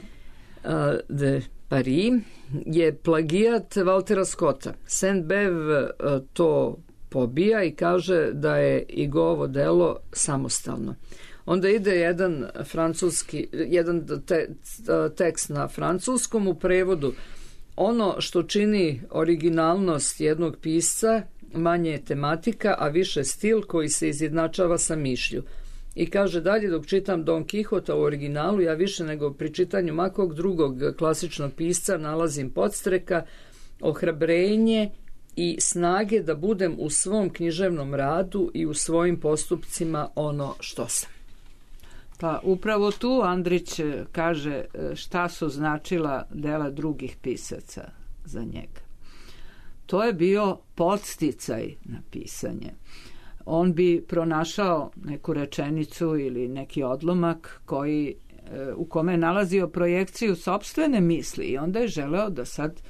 Speaker 3: Uh, de Paris je plagijat Valtera Scotta. Saint-Beuve uh, to pobija i kaže da je Igovo delo samostalno. Onda ide jedan francuski, jedan te, tekst na francuskom u prevodu. Ono što čini originalnost jednog pisca manje je tematika, a više stil koji se izjednačava sa mišlju. I kaže dalje, dok čitam Don Quixota u originalu, ja više nego pri čitanju makog drugog klasičnog pisca nalazim podstreka, ohrabrenje i snage da budem u svom književnom radu i u svojim postupcima ono što sam.
Speaker 4: Pa upravo tu Andrić kaže šta su značila dela drugih pisaca za njega. To je bio podsticaj na pisanje. on bi pronašao neku rečenicu ili neki odlomak koji, u kome je nalazio projekciju sopstvene misli i onda je želeo da sad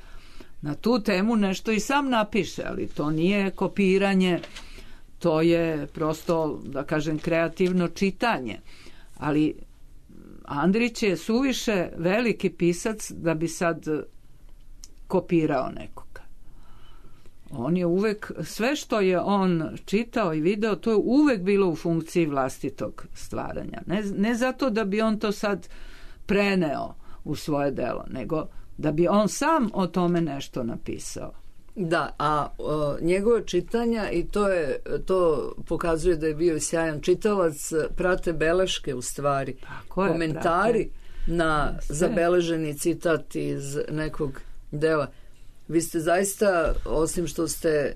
Speaker 4: na tu temu nešto i sam napiše, ali to nije kopiranje, to je prosto, da kažem, kreativno čitanje. Ali Andrić je suviše veliki pisac da bi sad kopirao nekoga. On je uvek, sve što je on čitao i video, to je uvek bilo u funkciji vlastitog stvaranja. Ne, ne zato da bi on to sad preneo u svoje delo, nego da bi on sam o tome nešto napisao.
Speaker 3: Da, a o, njegove čitanja, i to je to pokazuje da je bio sjajan čitalac, prate beleške u stvari, je, komentari prate na sve zabeleženi citat iz nekog dela. Vi ste zaista, osim što ste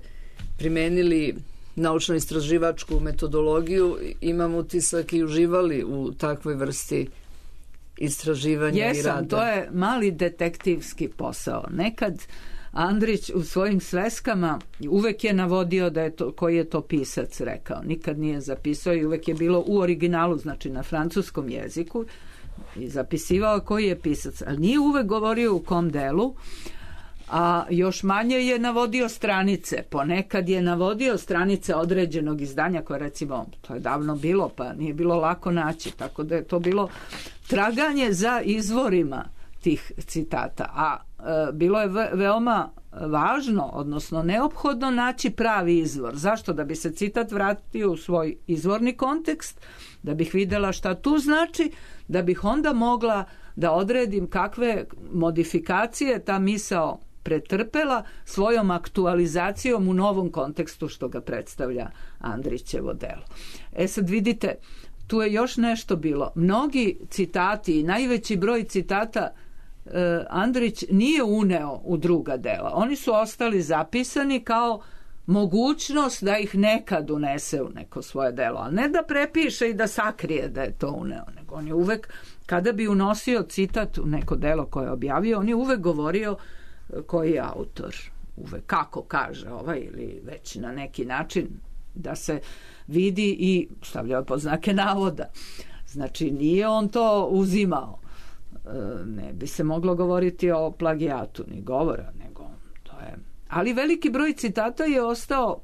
Speaker 3: primenili naučno-istraživačku metodologiju, imam utisak i uživali u takvoj vrsti istraživanja
Speaker 4: Jesam,
Speaker 3: i rada.
Speaker 4: Jesam, to je mali detektivski posao. Nekad Andrić u svojim sveskama uvek je navodio da je to, koji je to pisac rekao. Nikad nije zapisao i uvek je bilo u originalu, znači na francuskom jeziku, i zapisivao koji je pisac. Ali nije uvek govorio u kom delu, a još manje je navodio stranice. Ponekad je navodio stranice određenog izdanja koje, recimo, to je davno bilo, pa nije bilo lako naći, tako da je to bilo traganje za izvorima tih citata. A e, bilo je ve- veoma važno, odnosno neophodno naći pravi izvor. Zašto? Da bi se citat vratio u svoj izvorni kontekst, da bih videla šta tu znači, da bih onda mogla da odredim kakve modifikacije ta misao pretrpela svojom aktualizacijom u novom kontekstu što ga predstavlja Andrićevo delo. E sad vidite, tu je još nešto bilo. Mnogi citati i najveći broj citata e, Andrić nije uneo u druga dela. Oni su ostali zapisani kao mogućnost da ih nekad unese u neko svoje delo, ali ne da prepiše i da sakrije da je to uneo, nego on je uvek, kada bi unosio citat u neko delo koje je objavio, on je uvek govorio koji je autor, uvek kako kaže ovaj, ili već na neki način da se vidi i stavljao pod znake navoda. Znači nije on to uzimao. Ne bi se moglo govoriti o plagijatu ni govora, nego to je. Ali veliki broj citata je ostao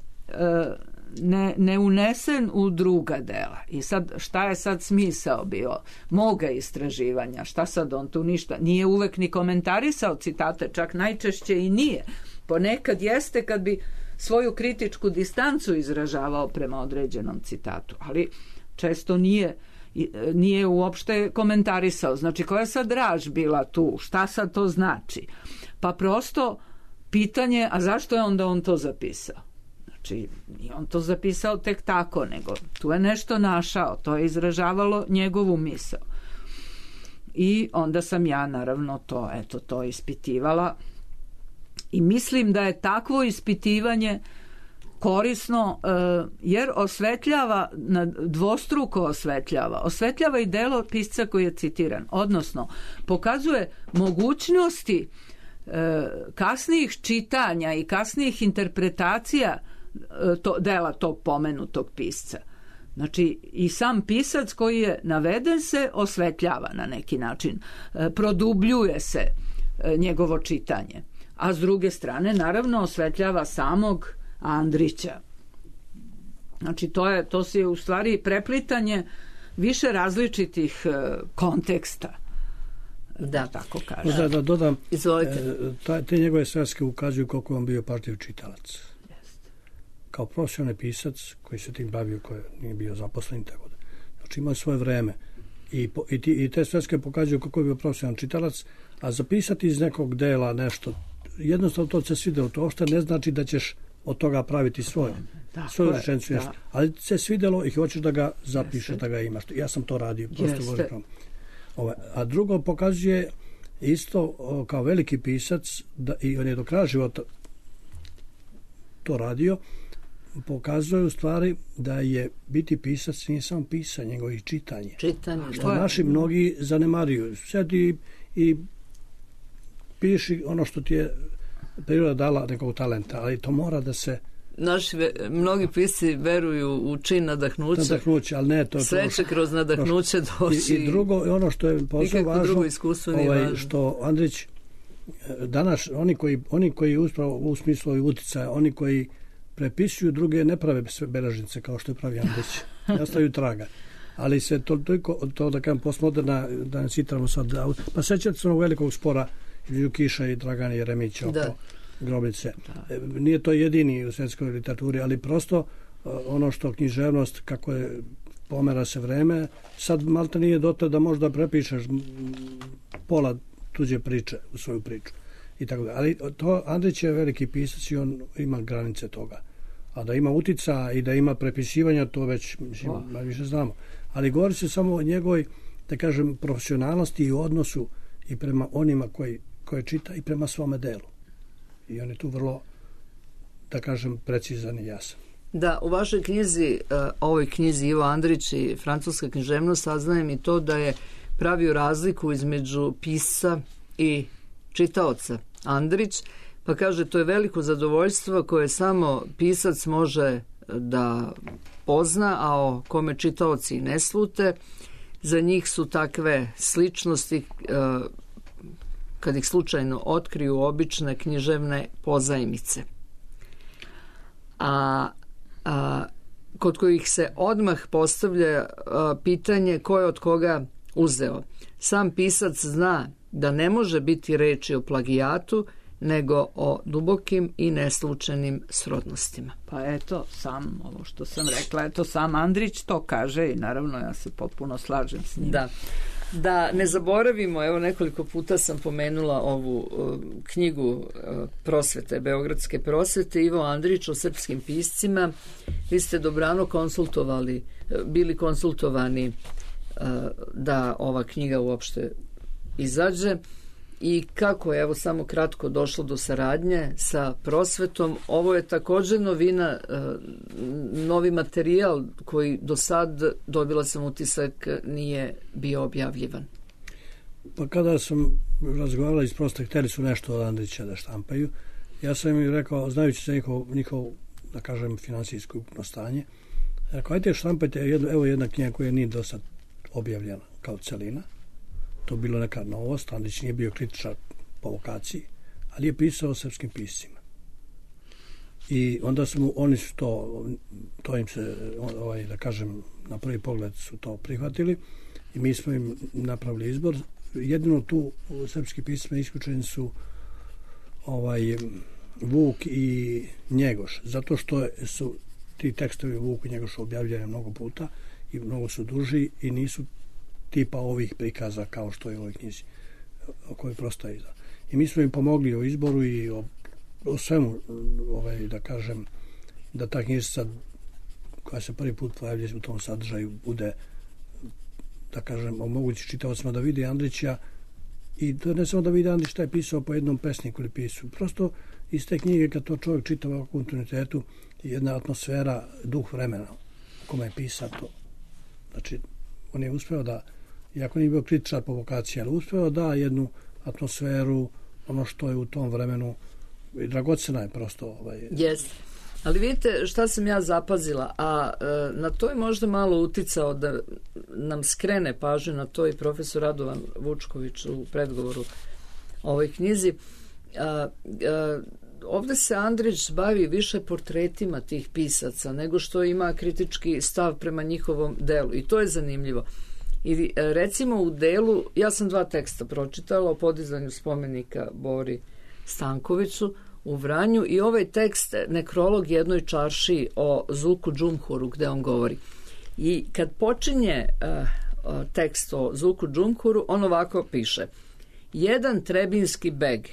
Speaker 4: ne, ne unesen u druga dela. I sad šta je sad smisao bio moga istraživanja? Šta sad on tu ništa? Nije uvek ni komentarisao citate, čak najčešće i nije. Ponekad jeste kad bi svoju kritičku distancu izražavao prema određenom citatu, ali često nije nije uopšte komentarisao. Znači, koja je sad draž bila tu? Šta sad to znači? Pa prosto pitanje, a zašto je onda on to zapisao? Znači, nije on to zapisao tek tako, nego tu je nešto našao, to je izražavalo njegovu misao. I onda sam ja, naravno, to, eto, to ispitivala. I mislim da je takvo ispitivanje korisno, jer osvetljava, dvostruko osvetljava. Osvetljava i delo pisca koji je citiran. Odnosno, pokazuje mogućnosti kasnijih čitanja i kasnijih interpretacija to, dela tog pomenutog pisca. Znači, i sam pisac koji je naveden se osvetljava na neki način. Produbljuje se njegovo čitanje. A s druge strane, naravno, osvetljava samog Andrića. Znači, to je, to je u stvari preplitanje više različitih konteksta. Da, tako kaže.
Speaker 5: Da, da dodam,
Speaker 3: izvolite.
Speaker 5: E, te njegove sveske ukazuju koliko on bio pažljiv čitalac. Kao profesionalni pisac koji se tim bavio, koji nije bio zaposlen, tako da. Znači, imao svoje vreme. I, i, ti, i te sveske pokazuju kako je bio profesionalan čitalac, a zapisati iz nekog dela nešto, jednostavno to se svidelo, to uopšte ne znači da ćeš od toga praviti svoje, svoju rečenicu, da. Ali se svidelo i hoćeš da ga zapišeš, Jeste. Da ga imaš. Ja sam to radio, prosto govorim. Ove, a drugo pokazuje isto o, kao veliki pisac, da, i on je do kraja života to radio, pokazuje u stvari da je biti pisac nije samo pisanje, nego i čitanje.
Speaker 3: Čitanje,
Speaker 5: što da. Naši mnogi zanemaruju. Sjedi i piši ono što ti je priroda dala nekog talenta, ali to mora da se
Speaker 3: naši mnogi pisci veruju u čin nadahnuća.
Speaker 5: Nadahnuće, ali ne to.
Speaker 3: Sve će kroz nadahnuće doći.
Speaker 5: I, i drugo, ono što je posebno važno, ovaj, što Andrić, danas oni koji, oni koji uspravo u smislu i uticaja, oni koji prepisuju druge ne prave sve beležnice kao što je pravi Andrić. Nastaju traga. Ali se to, toliko, to da kažem postmoderna, da ne citramo sad, pa sećate se onog velikog spora između Kiša i Dragana Jeremića oko da. Grobnice. Da. Nije to jedini u svjetskoj literaturi, ali prosto ono što književnost, kako je pomera se vreme, sad malta nije dotle da možda prepišeš pola tuđe priče u svoju priču. I tako da. Ali to, Andrić je veliki pisac i on ima granice toga. A da ima utica i da ima prepisivanja, to već mislim, oh. više znamo. Ali govori se samo o njegovoj, da kažem, profesionalnosti i odnosu i prema onima koji, koje čita i prema svome delu. I on je tu vrlo, da kažem, precizan i jasan.
Speaker 3: Da, u vašoj knjizi, ovoj knjizi Ivo Andrić i francuska književnost, saznajem i to da je pravio razliku između pisca i čitaoca. Andrić, pa kaže, to je veliko zadovoljstvo koje samo pisac može da pozna, a o kome čitaoci ne slute. Za njih su takve sličnosti, kad ih slučajno otkriju, obične književne pozajmice. A, a kod kojih se odmah postavlja a, pitanje ko je od koga uzeo. Sam pisac zna da ne može biti reči o plagijatu, nego o dubokim i neslučajnim srodnostima.
Speaker 4: Pa eto, sam ovo što sam rekla, eto sam Andrić to kaže i naravno ja se potpuno slažem s njim.
Speaker 3: Da. Da ne zaboravimo, evo nekoliko puta sam pomenula ovu uh, knjigu uh, prosvete, Beogradske prosvete, Ivo Andrić o srpskim piscima. Vi ste dobrano konsultovali, uh, bili konsultovani uh, da ova knjiga uopšte izađe. I kako je, evo samo kratko, došlo do saradnje sa prosvetom. Ovo je također novina, novi materijal koji do sad, dobila sam utisak, nije bio objavljivan.
Speaker 5: Pa kada sam razgovarala iz prosta, htjeli su nešto od Andrića da štampaju, ja sam im rekao, znajući se njihov, njihov da kažem, finansijsko ukupno stanje, rekao, ajte štampajte, evo jedna knjiga koja nije do sad objavljena kao celina. To bilo neka novost, Andrić nije bio kritičar po vokaciji, ali je pisao o srpskim piscima. I onda su mu, oni su to, to im se, ovaj, da kažem, na prvi pogled su to prihvatili i mi smo im napravili izbor. Jedino tu u srpski pisma isključeni su ovaj, Vuk i Njegoš, zato što su ti tekstovi Vuk i Njegoš objavljeni mnogo puta i mnogo su duži i nisu tipa ovih prikaza kao što je u ovoj knjizi o kojoj prosto je izda. I mi smo im pomogli o izboru i o, o svemu, ovaj, da kažem, da ta knjižica koja se prvi put pojavlja u tom sadržaju bude, da kažem, omogući čitaocima da vide Andrića i to ne samo da vide Andrić šta je pisao po jednom pesniku ili pisu. Prosto iz te knjige kad to čovjek čita u kontinuitetu jedna atmosfera, duh vremena u kome je pisato. Znači, on je uspeo da, iako nije bio kritičar po vokaciji, ali uspeo da jednu atmosferu, ono što je u tom vremenu, i dragocena je prosto. Ovaj.
Speaker 3: Jeste. Ali vidite šta sam ja zapazila, a e, na to je možda malo uticao da nam skrene pažnju na to i profesor Radovan Vučković u predgovoru ovoj knjizi. A, a, ovdje se Andrić bavi više portretima tih pisaca nego što ima kritički stav prema njihovom delu i to je zanimljivo. I recimo u delu, ja sam dva teksta pročitala o podizanju spomenika Bori Stankoviću u Vranju i ovaj tekst, nekrolog jednoj čaršiji o Zulku Džumhuru gde on govori. I kad počinje uh, tekst o Zulku Džumhuru, on ovako piše: jedan trebinski beg,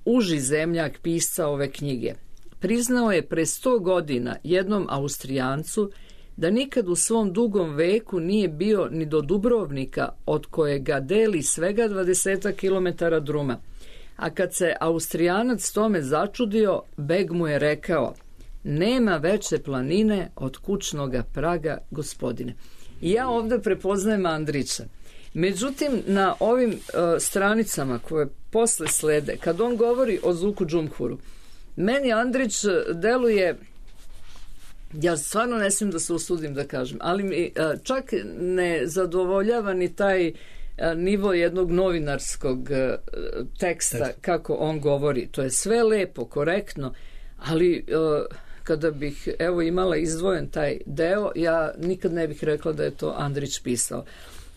Speaker 3: uži zemljak pisca ove knjige, priznao je pre sto godina jednom Austrijancu da nikad u svom dugom veku nije bio ni do Dubrovnika, od kojega deli svega dvadeset kilometara druma. A kad se Austrijanac tome začudio, beg mu je rekao: nema veće planine od kućnoga praga, gospodine. I ja ovdje prepoznajem Andrića. Međutim, na ovim uh, stranicama koje posle slede, kad on govori o Zulku Džumhuru, Meni Andrić deluje, ja stvarno ne smijem da se usudim da kažem, ali mi čak ne zadovoljava ni taj nivo jednog novinarskog teksta kako on govori. To je sve lepo, korektno, ali kada bih evo imala izdvojen taj deo, ja nikad ne bih rekla da je to Andrić pisao.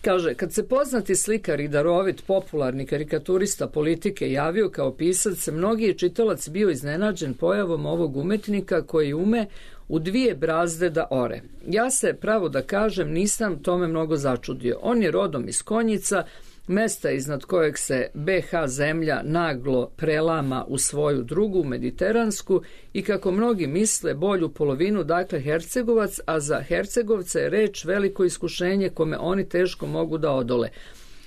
Speaker 3: Kaže, kad se poznati slikar i darovit popularni karikaturista politike javio kao pisac, mnogi je čitalac bio iznenađen pojavom ovog umetnika koji ume u dvije brazde da ore. Ja se, pravo da kažem, nisam tome mnogo začudio. On je rodom iz Konjica, mesta iznad kojeg se be ha zemlja naglo prelama u svoju drugu, mediteransku, i kako mnogi misle bolju polovinu, dakle Hercegovac, a za Hercegovce je reč veliko iskušenje kome oni teško mogu da odole.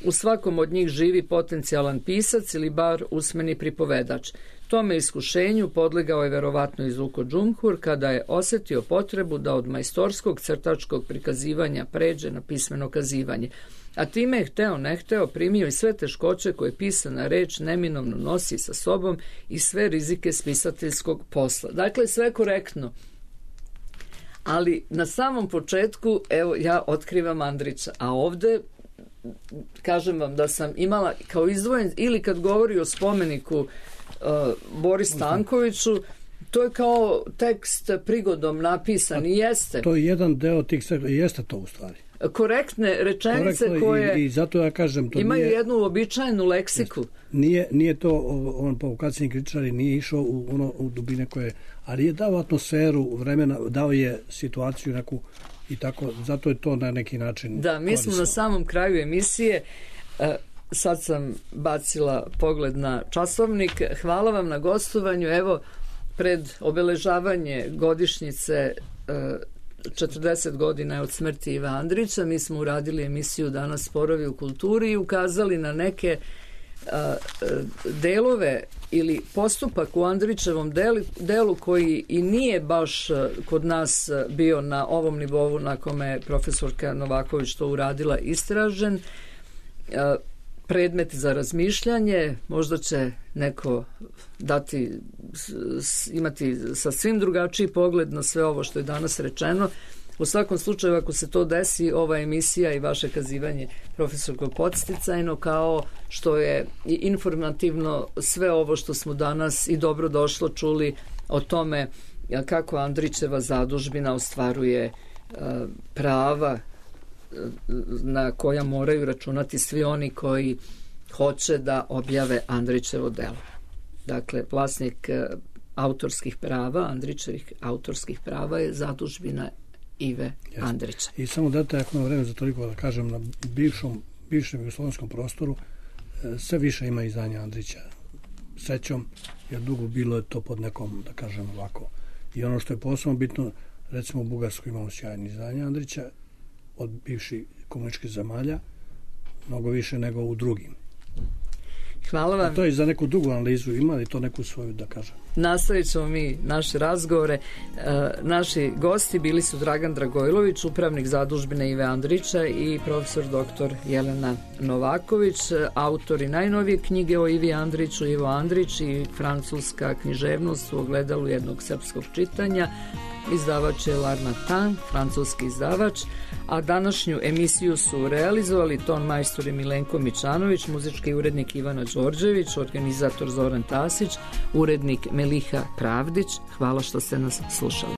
Speaker 3: U svakom od njih živi potencijalan pisac ili bar usmeni pripovedač. Tome iskušenju podlegao je verovatno i Zuko Džumhur kada je osetio potrebu da od majstorskog crtačkog prikazivanja pređe na pismeno kazivanje. A time je hteo ne hteo primio i sve teškoće koje pisana reč neminovno nosi sa sobom i sve rizike spisateljskog posla. Dakle, sve korektno. Ali na samom početku, evo, ja otkrivam Andrića, a ovde kažem vam da sam imala kao izdvojen, ili kad govori o spomeniku uh, Boris Stankoviću, to je kao tekst prigodom napisan i jeste.
Speaker 5: To je jedan deo tih sektora, jeste to u stvari.
Speaker 3: Korektne rečenice
Speaker 5: Korektno
Speaker 3: koje
Speaker 5: i, i zato ja kažem, to
Speaker 3: imaju
Speaker 5: nije,
Speaker 3: jednu uobičajenu leksiku.
Speaker 5: Nije, nije to, on provokacijni kritičari nije išao u, ono, u dubine koje, ali je dao atmosferu vremena, dao je situaciju neku i tako, zato je to na neki način
Speaker 3: da, mi korisno. Smo na samom kraju emisije, sad sam bacila pogled na časovnik, hvala vam na gostovanju, evo pred obeležavanje godišnjice četrdeset godina od smrti Ive Andrića, mi smo uradili emisiju Danas sporovi u kulturi i ukazali na neke a, delove ili postupak u Andrićevom delu, delu koji i nije baš kod nas bio na ovom nivou na kome je profesorka Novaković to uradila istražen. A, predmet za razmišljanje, možda će neko dati, imati sasvim drugačiji pogled na sve ovo što je danas rečeno. U svakom slučaju, ako se to desi, ova emisija i vaše kazivanje profesorko podsticajno, kao što je i informativno sve ovo što smo danas i dobro došlo čuli o tome kako Andrićeva zadužbina ostvaruje prava na koja moraju računati svi oni koji hoće da objave Andrićevo delo. Dakle, vlasnik autorskih prava, Andrićevih autorskih prava je zadužbina Ive Jasne. Andrića.
Speaker 5: I samo date, ako imam vreme za toliko da kažem, na bivšom, bivšem jugoslovenskom prostoru sve više ima izdanja Andrića srećom, jer dugo bilo je to pod nekom, da kažem ovako. I ono što je posebno bitno, recimo u Bugarskoj imamo sjajni izdanja Andrića, od bivših komunističkih zemalja, mnogo više nego u drugim.
Speaker 3: Hvala vam.
Speaker 5: A to je za neku drugu analizu, ima li to neku svoju, da kažem?
Speaker 3: Nastavit ćemo mi naše razgovore. E, naši gosti bili su Dragan Dragojlović, upravnik zadužbine Ive Andrića, i profesor doktor Jelena Novaković, autori najnovije knjige o Ivi Andriću, Ivo Andrić i francuska književnost u ogledalu jednog srpskog čitanja. Izdavač je L'Harmattan, francuski izdavač, a današnju emisiju su realizovali ton majstor Milenko Mičanović, muzički urednik Ivana Đorđević, organizator Zoran Tasić, urednik Meliha Pravdić. Hvala što ste nas slušali.